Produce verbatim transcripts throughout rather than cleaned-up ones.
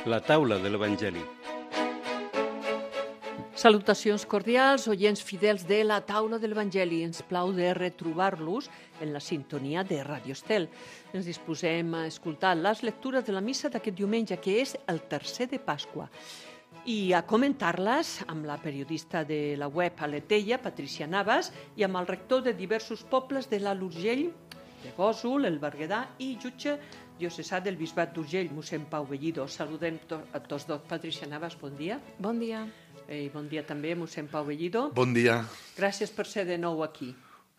La taula de l'Evangeli. Salutacions cordials, oients fidels de la taula de l'Evangeli. Ens plau de retrobar-los en la sintonia de Radio Estel. Ens disposem a escoltar les lectures de la missa d'aquest diumenge, que és el tercer de Pasqua, i a comentar-les amb la periodista de la web Aleteia, Patricia Navas, i amb el rector de diversos pobles de l'Alt Urgell, de Gósol, el Berguedà i jutge diocesà del Bisbat d'Urgell, mossèn Pau Bellido. Saludem to a tots dos. Patricia Navas, bon dia. Bon dia. I bon dia també, mossèn Pau Bellido. Bon dia. Gràcies per ser de nou aquí.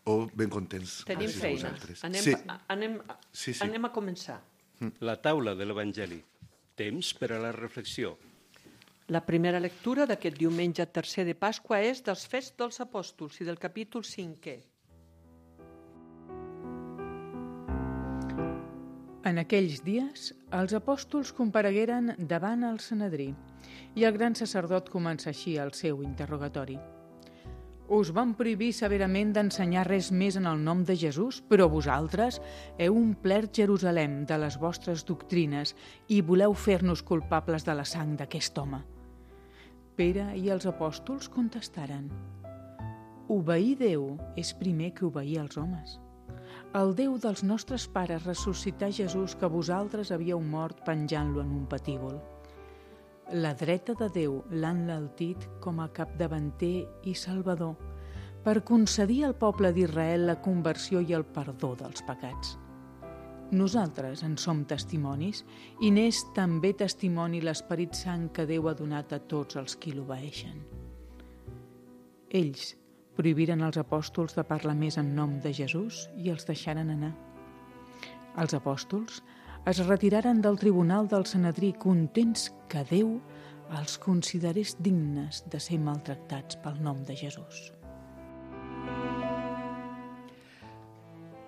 Oh, ben contents. Tenim Gràcies feina. Anem, sí. anem, Sí, sí. anem a començar. La taula de l'Evangeli. Temps per a la reflexió. La primera lectura d'aquest diumenge tercer de Pasqua és dels Fets dels Apòstols i del capítol cinquè. En aquells dies, els apòstols comparegueren davant el Sanedrí i el gran sacerdot comença així el seu interrogatori. Us van prohibir severament d'ensenyar res més en el nom de Jesús, però vosaltres heu omplert Jerusalem de les vostres doctrines i voleu fer-nos culpables de la sang d'aquest home. Pere i els apòstols contestaren: obeir Déu és primer que obeir els homes. El Déu dels nostres pares ressuscità Jesús que vosaltres havíeu mort penjant-lo en un patíbul. La dreta de Déu l'ha enaltit com a capdavanter i salvador per concedir al poble d'Israel la conversió i el perdó dels pecats. Nosaltres en som testimonis i n'és també testimoni l'Esperit Sant que Déu ha donat a tots els qui l'obeeixen. Ells prohibiren als apòstols de parlar més en nom de Jesús i els deixaren anar. Els apòstols es retiraren del tribunal del Sanedrí contents que Déu els considerés dignes de ser maltractats pel nom de Jesús.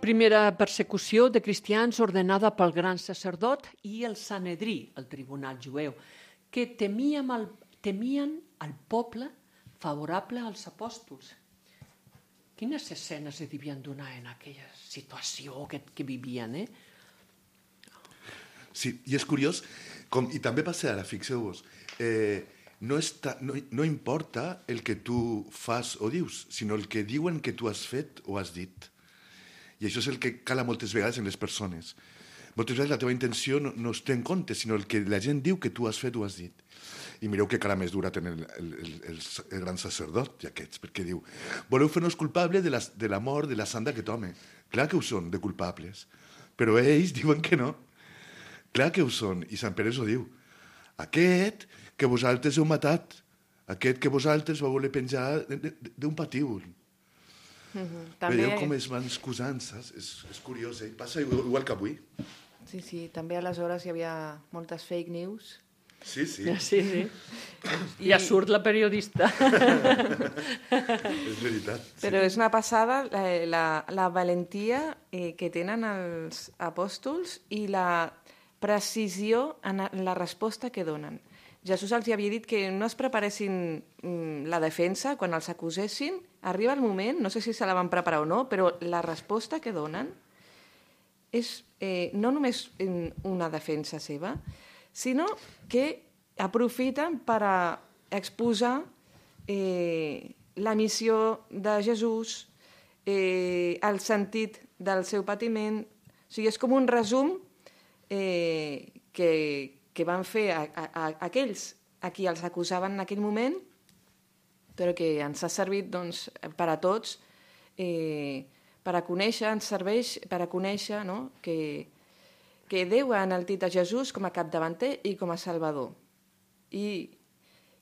Primera persecució de cristians ordenada pel gran sacerdot i el Sanedrí, el tribunal jueu, que temien el, temien el poble favorable als apòstols. Quines escenes es devien donar en aquella situació que, que vivien, eh? Sí, i és curiós, com, i també passa ara, fixeu-vos, eh, no, està, no, no importa el que tu fas o dius, sinó el que diuen que tu has fet o has dit. I això és el que cala moltes vegades en les persones. Moltes vegades la teva intenció no, no es té en compte, sinó el que la gent diu que tu has fet o has dit. I mireu que cara més dura té el, el, el, el, el gran sacerdot i aquests, perquè diu: voleu fer-nos culpables de la, de la mort de la sang d'aquest home. Clar que ho són, de culpables. Però ells diuen que no. Clar que ho són. I Sant Pere ho diu: aquest que vosaltres heu matat, aquest que vosaltres vau voler penjar d'un patíbul. Mm-hmm. També... Veieu com es van excusant, saps? És, és curiós, eh? Passa igual que avui. Sí, sí, també aleshores hi havia moltes fake news. Sí, sí. Sí, sí. I ja surt la periodista. És veritat. Sí. Però és una passada la, la, la valentia eh, que tenen els apòstols i la precisió en la resposta que donen. Jesús els havia dit que no es preparessin mm, la defensa quan els acusessin. Arriba el moment, no sé si se la van preparar o no, però la resposta que donen és eh, no només una defensa seva, sinó que aprofiten per a exposar eh, la missió de Jesús, eh, el sentit del seu patiment. O sigui, és com un resum eh, que, que van fer a, a, a aquells a qui els acusaven en aquell moment, però que ens ha servit doncs, per a tots, eh, per a conèixer, ens serveix per a conèixer, no?, que que Déu ha enaltit a Jesús com a capdavanter i com a salvador. I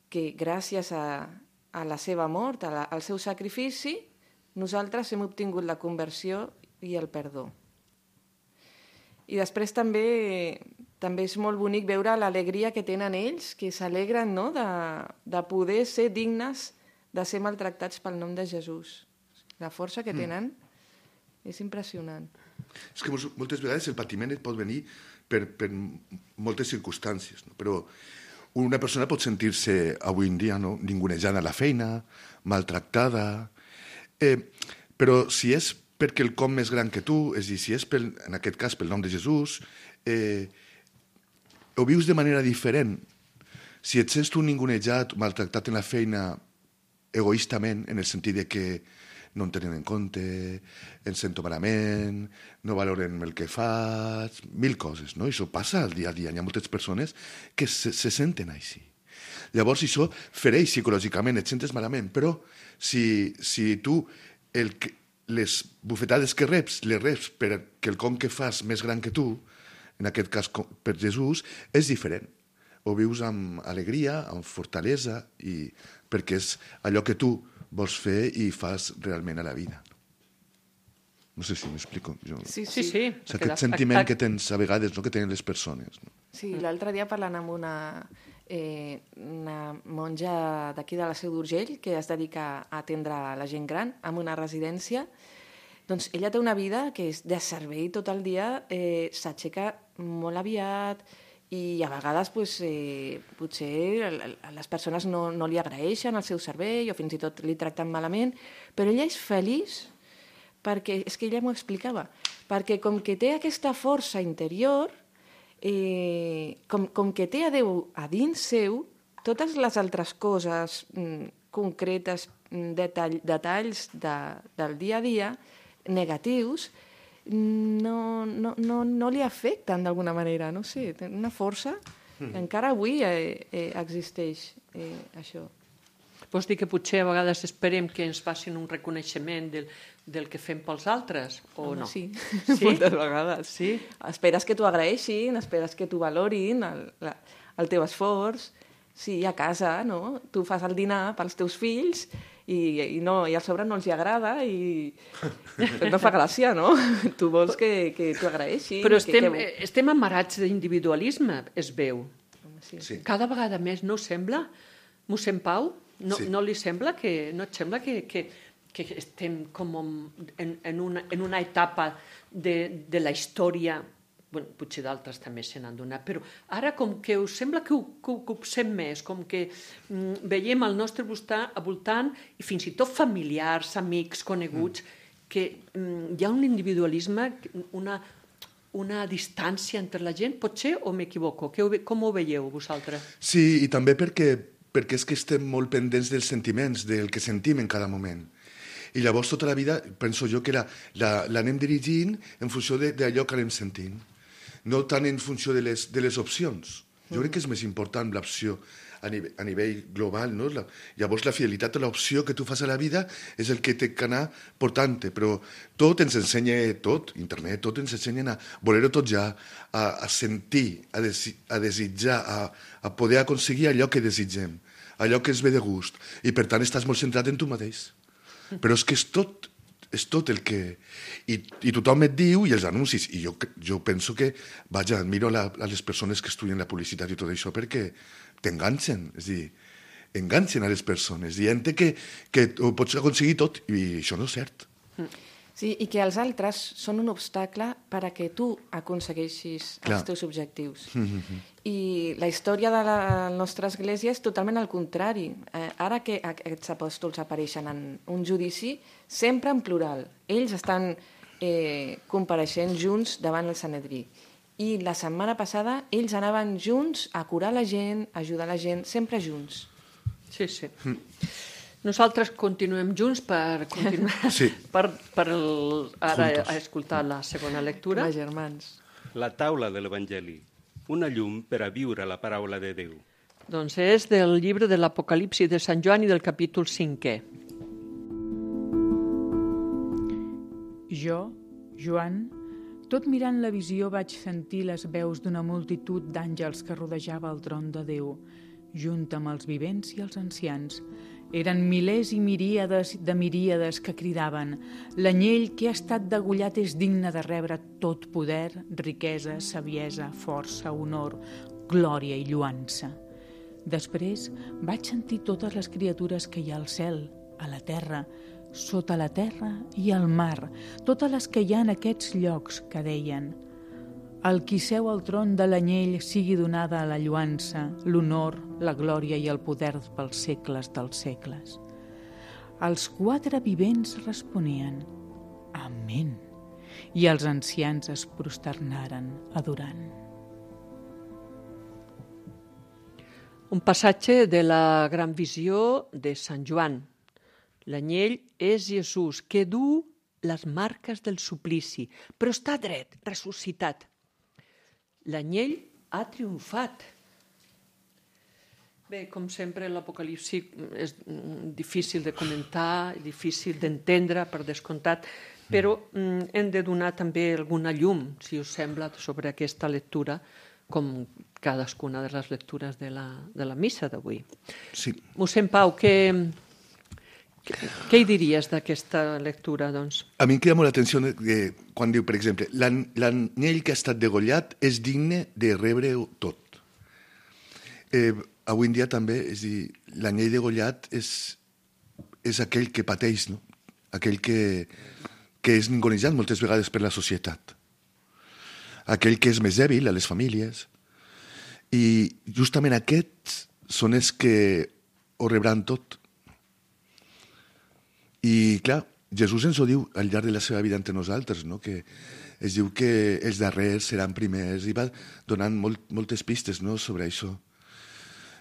que gràcies a, a la seva mort, a la, al seu sacrifici, nosaltres hem obtingut la conversió i el perdó. I després també, també és molt bonic veure l'alegria que tenen ells, que s'alegren, no?, de, de poder ser dignes de ser maltractats pel nom de Jesús. La força que tenen mm. és impressionant. És que moltes vegades el patiment et pot venir per, per moltes circumstàncies, no? Però una persona pot sentir-se avui en dia, no?, ningunejant a la feina, maltractada, eh, però si és perquè el com més gran que tu, és a dir, si és pel, en aquest cas pel nom de Jesús, eh, ho vius de manera diferent. Si et sents tu ningunejat, maltractat en la feina egoistament, en el sentit de que no em tenen en compte, em sento malament, no valoren el que faig, mil coses, no? I això passa al dia a dia. Hi ha moltes persones que se, se senten així. Llavors això fereix psicològicament, et sentes malament, però si, si tu el, les bufetades que reps, les reps per quelcom que fas més gran que tu, en aquest cas per Jesús, és diferent. Ho vius amb alegria, amb fortalesa, i perquè és allò que tu vols fer i fas realment a la vida. No sé si m'explico. Jo... Sí, Sí, sí. sí. O sigui, aquest sentiment que tens a vegades, no? Que tenen les persones. No? Sí, l'altre dia parlant amb una, eh, una monja d'aquí de la Seu d'Urgell que es dedica a atendre la gent gran en una residència, doncs ella té una vida que és de servei tot el dia, eh, s'aixeca molt aviat, i a vegades pues, eh, potser les persones no, no li agraeixen el seu servei o fins i tot li tracten malament, però ella és feliç perquè, és que ella m'ho explicava, perquè com que té aquesta força interior, eh, com, com que té a Déu a dins seu, totes les altres coses mm, concretes, mm, detall, detalls de, del dia a dia, negatius, no, no, no, no li afecten d'alguna manera, no sé, té una força que encara avui eh, eh, existeix eh, això. Vols dir que potser a vegades esperem que ens facin un reconeixement del, del que fem pels altres, o Home, no? Sí, Sí? moltes vegades. Sí? Esperes que t'ho agraeixin, esperes que t'ho valorin, el, la, el teu esforç. Sí, a casa, no? Tu fas el dinar pels teus fills i, i, no, i a sobre no els hi agrada i no fa gràcia, no? Tu vols que, que t'ho agraeixin. Però que, estem, que... estem amarats d'individualisme, es veu. Sí. Sí. Cada vegada més, no us sembla? Mossèn Pau, no, Sí. no li sembla que, no et sembla que, que, que estem com en, en, una, en una etapa de, de la història, bueno, potser d'altres també se n'han donat, però ara com que us sembla que ho, que ho copsem més, com que mm, veiem al nostre voltant, al voltant i fins i tot familiars, amics, coneguts, mm. que mm, hi ha un individualisme, una, una distància entre la gent, potser o m'equivoco? Que ho, com ho veieu vosaltres? Sí, i també perquè, perquè és que estem molt pendents dels sentiments, del que sentim en cada moment. I llavors tota la vida penso jo que la, la, l'anem dirigint en funció de, d'allò que anem sentint, no tant en funció de les, de les opcions. Jo crec que és més important l'opció a nivell, a nivell global, no? La, llavors la fidelitat a l'opció que tu fas a la vida és el que té que anar portant-te, però tot ens ensenya, tot, internet, tot ens ensenya a voler-ho tot ja, a, a sentir, a, desi, a desitjar, a, a poder aconseguir allò que desitgem, allò que ens ve de gust, i per tant estàs molt centrat en tu mateix. Però és que és tot, és tot el que... I, i tothom et diu, i els anuncis, i jo, jo penso que, vaja, admiro la, a les persones que estudien la publicitat i tot això perquè t'enganxen, és a dir, enganxen a les persones, dient que, que ho pots aconseguir tot, i això no és cert. Sí, i que els altres són un obstacle per a que tu aconsegueixis Clar. els teus objectius. Mm-hmm. I la història de la nostra església és totalment al contrari. Eh, ara que aquests apòstols apareixen en un judici, sempre en plural. Ells estan eh, compareixent junts davant el Sanedrí. I la setmana passada ells anaven junts a curar la gent, a ajudar la gent, sempre junts. Sí, sí. Mm. Nosaltres continuem junts per continuar Sí. per, per el, ara Juntos. a escoltar la segona lectura. Els germans. La taula de l'Evangeli, una llum per a viure la paraula de Déu. Doncs és del llibre de l'Apocalipsi de Sant Joan i del capítol cinquè. Jo, Joan, tot mirant la visió vaig sentir les veus d'una multitud d'àngels que rodejava el tron de Déu, junt amb els vivents i els ancians. Eren milers i miríades de miríades que cridaven: l'anyell que ha estat degollat és digne de rebre tot poder, riquesa, saviesa, força, honor, glòria i lluança. Després vaig sentir totes les criatures que hi ha al cel, a la terra, sota la terra i al mar, totes les que hi ha en aquests llocs, que deien: al qui seu al tron de l'anyell sigui donada la lluança, l'honor, la glòria i el poder pels segles dels segles. Els quatre vivents responien: Amén. I els ancians es prosternaren adorant. Un passatge de la Gran Visió de Sant Joan. L'anyell és Jesús, que du les marques del suplici, però està dret, ressuscitat. L'anyell ha triomfat. Bé, com sempre, l'Apocalipsi és difícil de comentar, difícil d'entendre, per descomptat, però mm, hem de donar també alguna llum, si us sembla, sobre aquesta lectura, com cadascuna de les lectures de la, de la missa d'avui. Sí. Mossèn Pau, què, què, què hi diries d'aquesta lectura, doncs? A mi em crida molt l'atenció que, quan diu, per exemple, l'an- l'anyell que ha estat degollat és digne de rebre-ho tot. Eh, avui en dia també, és dir, l'anyell degollat és, és aquell que pateix, no? Aquell que, que és ningunejat moltes vegades per la societat. Aquell que és més dèbil a les famílies. I justament aquests són els que ho rebran tot. I, clar, Jesús ens ho diu al llarg de la seva vida entre nosaltres, no? Que es diu que els darrers seran primers, i va donant molt, moltes pistes, no?, sobre això.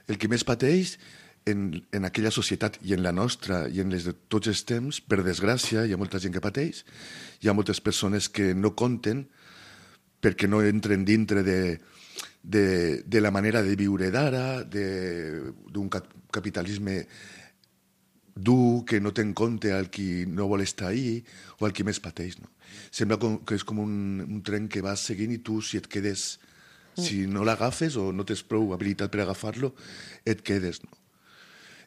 El que més pateix en, en aquella societat i en la nostra i en les de tots els temps, per desgràcia, hi ha molta gent que pateix, hi ha moltes persones que no compten perquè no entren dintre de, de, de la manera de viure d'ara, d'un cap capitalisme dur que no té en compte el qui no vol estar ahí o el qui més pateix. No? Sembla com, que és com un, un tren que vas seguint i tu, si et quedes, si no l'agafes o no tens prou habilitat per agafar-lo, et quedes. No?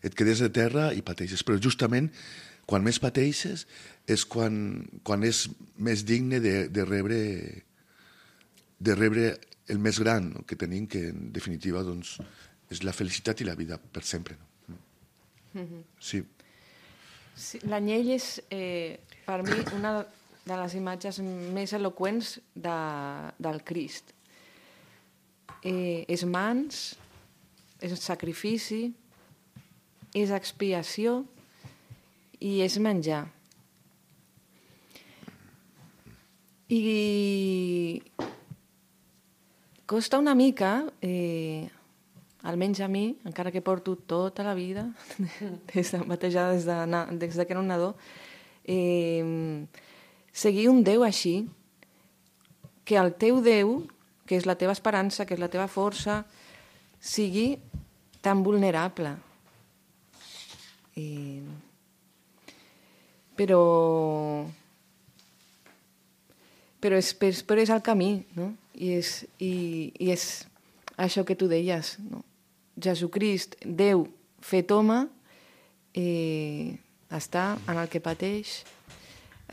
Et quedes de terra i pateixes. Però justament, quan més pateixes, és quan, quan és més digne de, de rebre de rebre el més gran, no?, que tenim, que en definitiva doncs, és la felicitat i la vida per sempre. No? Mm-hmm. Sí. Sí, l'anyell és, eh, per mi, una de les imatges més eloqüents de, del Crist. Eh, és mans, és sacrifici, és expiació i és menjar. I costa una mica, eh, almenys a mi, encara que porto tota la vida, des de, batejada des de, des de que era un nadó, eh, seguir un Déu així, que el teu Déu, que és la teva esperança, que és la teva força, sigui tan vulnerable. Eh, però... Però és, però és el camí, no? I és, i, i és això que tu deies, no? Jesucrist, Déu fet home, eh, està en el que pateix,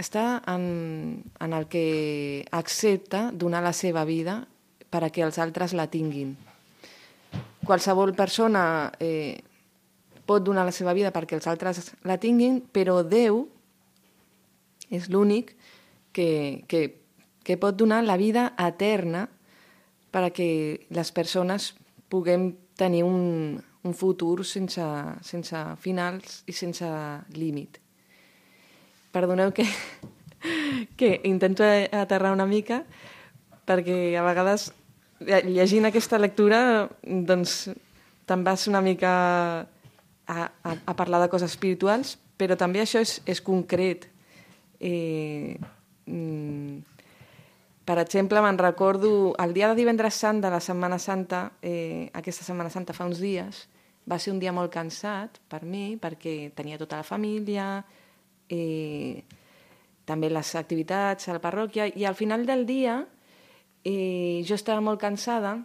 està en, en el que accepta donar la seva vida per a que els altres la tinguin. Qualsevol persona eh, pot donar la seva vida perquè els altres la tinguin, però Déu és l'únic que, que que pot donar la vida eterna perquè les persones puguem tenir un, un futur sense, sense finals i sense límit. Perdoneu que, que intento aterrar una mica perquè a vegades llegint aquesta lectura doncs te'n vas una mica a, a, a parlar de coses espirituals, però també això és, és concret. Eh, mm, Per exemple, me'n recordo el dia de divendres sant de la Setmana Santa, eh, aquesta Setmana Santa fa uns dies, va ser un dia molt cansat per mi, perquè tenia tota la família, eh, també les activitats a la parròquia, i al final del dia eh, jo estava molt cansada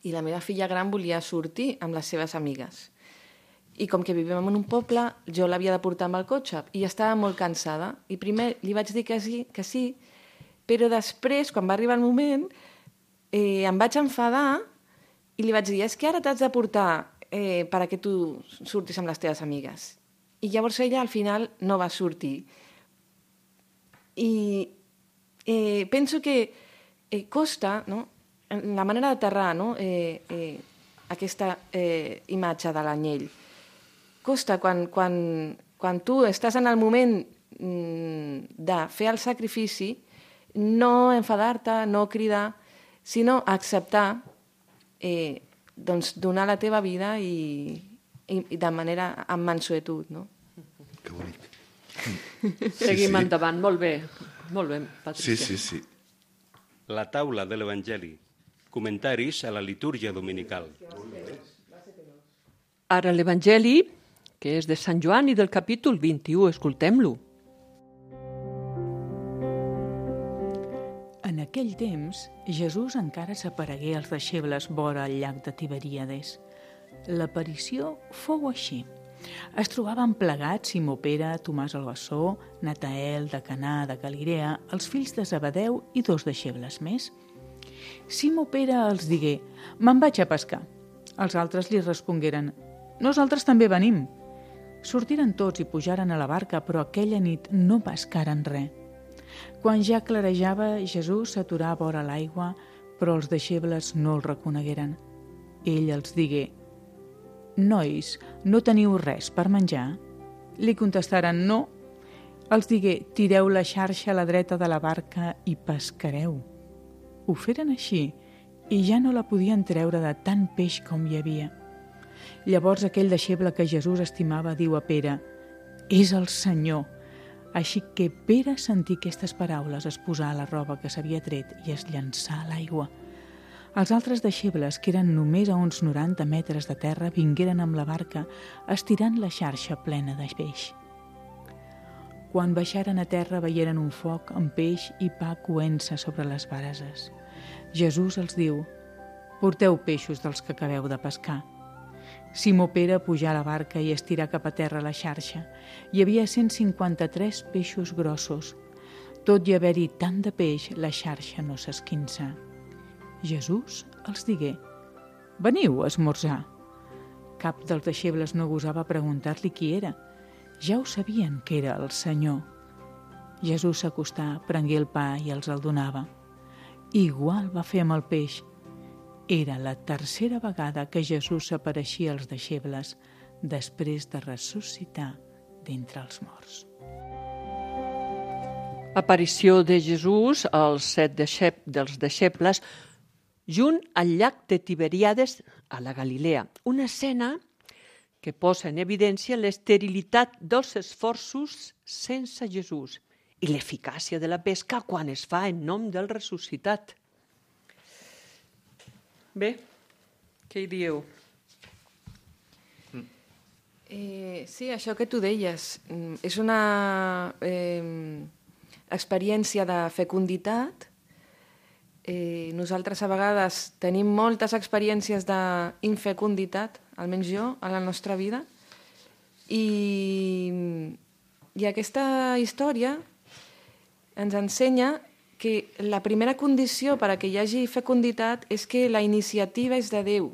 i la meva filla gran volia sortir amb les seves amigues. I com que vivim en un poble, jo l'havia de portar amb el cotxe i estava molt cansada. I primer li vaig dir que sí, que sí, però després, quan va arribar el moment, eh, em vaig enfadar i li vaig dir, és que ara t'has de portar eh, per a que tu surtis amb les teves amigues. I llavors ella al final no va sortir. I eh, penso que eh, costa, no?, la manera d'aterrar, no?, eh, eh, aquesta eh, imatge de l'anyell. Costa quan, quan, quan tu estàs en el moment mm, de fer el sacrifici, no enfadar-te, no cridar, sinó acceptar eh, doncs, donar la teva vida i, i, i de manera amb mansuetud, no? Que bonic. Seguim sí, sí. endavant, molt bé. Molt bé, Patricia. Sí, sí, sí. La taula de l'Evangeli. Comentaris a la litúrgia dominical. Ara l'Evangeli, que és de Sant Joan i del capítol vint-i-u, escoltem-lo. En aquell temps, Jesús encara s'aparegué als deixebles vora el llac de Tiberíades. L'aparició fou així. Es trobaven plegats Simó Pere, Tomàs el Bessó, Natael de Canà de Galilea, els fills de Zebedeu i dos deixebles més. Simó Pere els digué: «Me'n vaig a pescar». Els altres li respongueren: «Nosaltres també venim». Sortiren tots i pujaren a la barca, però aquella nit no pescaren res. Quan ja clarejava, Jesús s'aturà a vora l'aigua, però els deixebles no el reconegueren. Ell els digué: «Nois, no teniu res per menjar?» Li contestaren: «No». Els digué: «Tireu la xarxa a la dreta de la barca i pescareu». Ho feren així i ja no la podien treure de tant peix com hi havia. Llavors aquell deixeble que Jesús estimava diu a Pere: «És el Senyor». Així que Pere sentí aquestes paraules, es posà la roba que s'havia tret i es llançà a l'aigua. Els altres deixebles, que eren només a uns noranta metres de terra, vingueren amb la barca, estirant la xarxa plena de peix. Quan baixaren a terra veieren un foc amb peix i pa coent-se sobre les brases. Jesús els diu: «Porteu peixos dels que acabeu de pescar». Simó Pere pujà a la barca i estirà cap a terra la xarxa. Hi havia cent cinquanta-tres peixos grossos. Tot i haver-hi tant de peix, la xarxa no s'esquinça. Jesús els digué: «Veniu a esmorzar». Cap dels deixebles no gosava preguntar-li qui era. Ja ho sabien que era el Senyor. Jesús s'acostà, prengué el pa i els el donava. Igual va fer amb el peix. Era la tercera vegada que Jesús s'apareixia als deixebles després de ressuscitar d'entre els morts. Aparició de Jesús als set deixep dels deixebles junt al llac de Tiberíades a la Galilea. Una escena que posa en evidència l'esterilitat dels esforços sense Jesús i l'eficàcia de la pesca quan es fa en nom del ressuscitat. Bé, què hi dieu? Eh, sí, això que tu deies, és una eh, experiència de fecunditat. Eh, nosaltres a vegades tenim moltes experiències d'infecunditat, almenys jo, a la nostra vida, i, i aquesta història ens ensenya que la primera condició per a que hi hagi fecunditat és que la iniciativa és de Déu,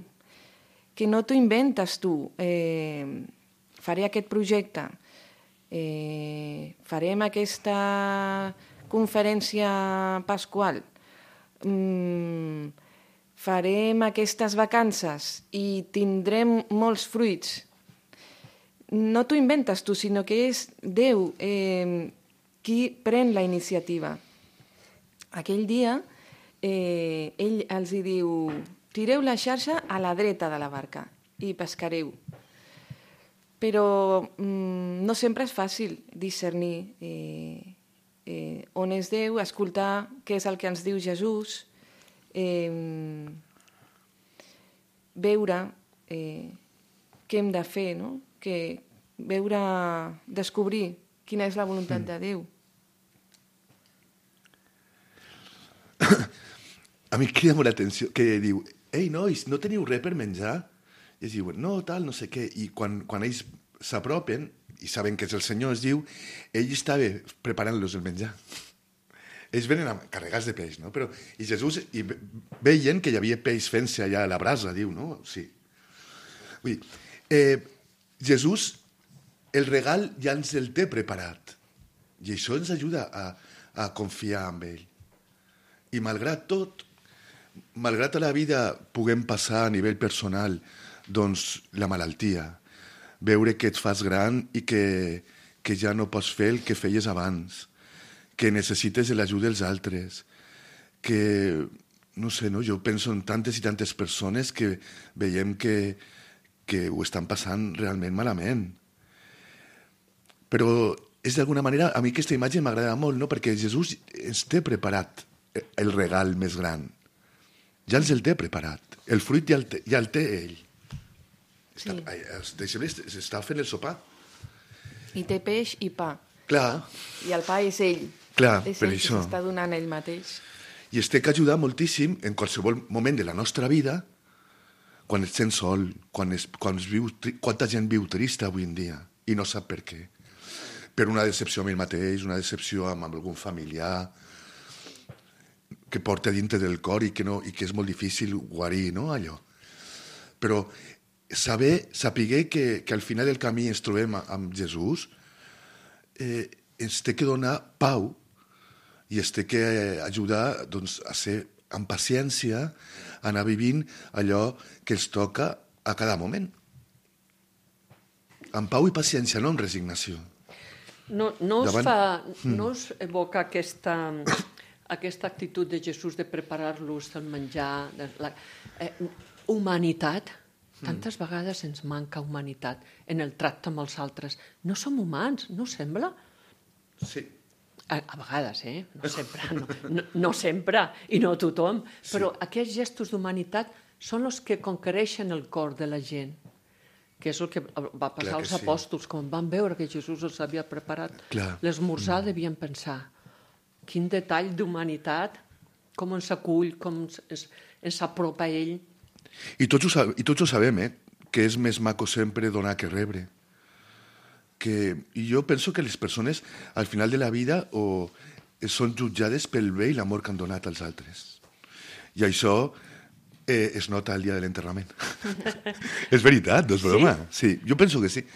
que no t'ho inventes tu. Eh, faré aquest projecte, eh, farem aquesta conferència pasqual, mm, farem aquestes vacances i tindrem molts fruits. No t'ho inventes tu, sinó que és Déu eh, qui pren la iniciativa. Aquell dia eh, ell els hi diu: tireu la xarxa a la dreta de la barca i pescareu. Però mm, no sempre és fàcil discernir eh, eh, on és Déu, escoltar què és el que ens diu Jesús, eh, veure eh, què hem de fer, no? Que veure, descobrir quina és la voluntat de Déu. A mi crida molt l'atenció que diu: ei, nois, no teniu res per menjar? I ells diuen: no, tal, no sé què. I quan, quan ells s'apropen i saben que és el Senyor, es diu, ell estava preparant-los el menjar. Ells venen carregats de peix, no? Però, i Jesús, i veien que hi havia peix fent-se allà a la brasa, diu, no? Sí. Vull dir, eh, Jesús, el regal ja ens el té preparat. I això ens ajuda a, a confiar en ell. I malgrat tot, malgrat a la vida puguem passar a nivell personal doncs la malaltia, veure que et fas gran i que, que ja no pots fer el que feies abans, que necessites l'ajuda dels altres, que no sé, no? Jo penso en tantes i tantes persones que veiem que, que ho estan passant realment malament. Però és d'alguna manera, a mi aquesta imatge m'agrada molt, no? Perquè Jesús ens té preparat el regal més gran. Ja ens el té preparat. El fruit ja el té, ja el té ell. Sí. Està, els deixebles s'està fent el sopar. I té peix i pa. Clar. I el pa és ell. Clar, és per ell això. que s'està donant ell mateix. I es té que ajudar moltíssim en qualsevol moment de la nostra vida, quan et sents sol, quan es, quan es viu, quanta gent viu trista avui en dia i no sap per què. Per una decepció amb ell mateix, una decepció amb, amb algun familiar que porta dintre del cor i que, no, i que és molt difícil guarir, no, allò. Però saber, saber que, que al final del camí ens trobem amb Jesús, eh, ens té que donar pau i ens té que ajudar doncs, a ser amb paciència, a anar vivint allò que ens toca a cada moment. Amb pau i paciència, no amb resignació. No, no, us, Davant... fa, no us evoca aquesta, aquesta actitud de Jesús de preparar-los el menjar, de la, eh, humanitat? Tantes mm. vegades ens manca humanitat en el tracte amb els altres. No som humans, no sembla? Sí. A, a vegades, eh? No sempre, no, no, no sempre, i no tothom, sí. Però aquests gestos d'humanitat són els que conquereixen el cor de la gent, que és el que va passar als sí. apòstols, quan van veure que Jesús els havia preparat l'esmorzar, mm. devien pensar, quin detall d'humanitat, com ens acull, com ens, ens apropa a ell. I tots ho, i tots ho sabem, eh? Que és més maco sempre donar que rebre. Que, I jo penso que les persones, al final de la vida, o són jutjades pel bé i l'amor que han donat als altres. I això eh, es nota el dia de l'enterrament. És veritat, no és broma. Sí? Sí, jo penso que sí.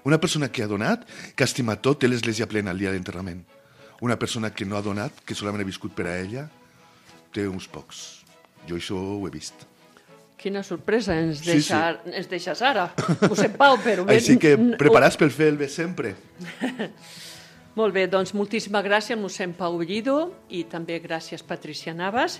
Una persona que ha donat, que ha estimat tot, té l'església plena el dia de l'enterrament. Una persona que no ha donat, que solament ha viscut per a ella, té uns pocs. Jo això ho he vist. Quina sorpresa ens, Sí, deixa, sí. ens deixes ara. Ho sé, Pau, però... Així que preparats per fer el bé sempre. Molt bé, doncs moltíssimes gràcies, mossèn Pau Bellido, i també gràcies, Patricia Navas,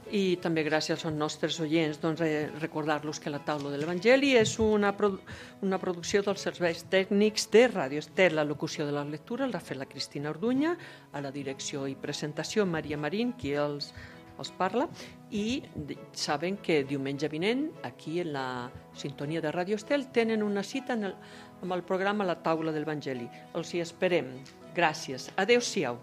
i també gràcies als nostres oients. Doncs eh, recordar-los que la taula de l'Evangeli és una, produ una producció dels serveis tècnics de Ràdio Estel. La locució de la lectura l'ha fet la Cristina Orduña, a la direcció i presentació Maria Marín, qui els... els parla, i saben que diumenge vinent, aquí en la sintonia de Ràdio Estel, tenen una cita en el, amb el programa La Taula de l'Evangeli. Els hi esperem. Gràcies. Adéu-siau.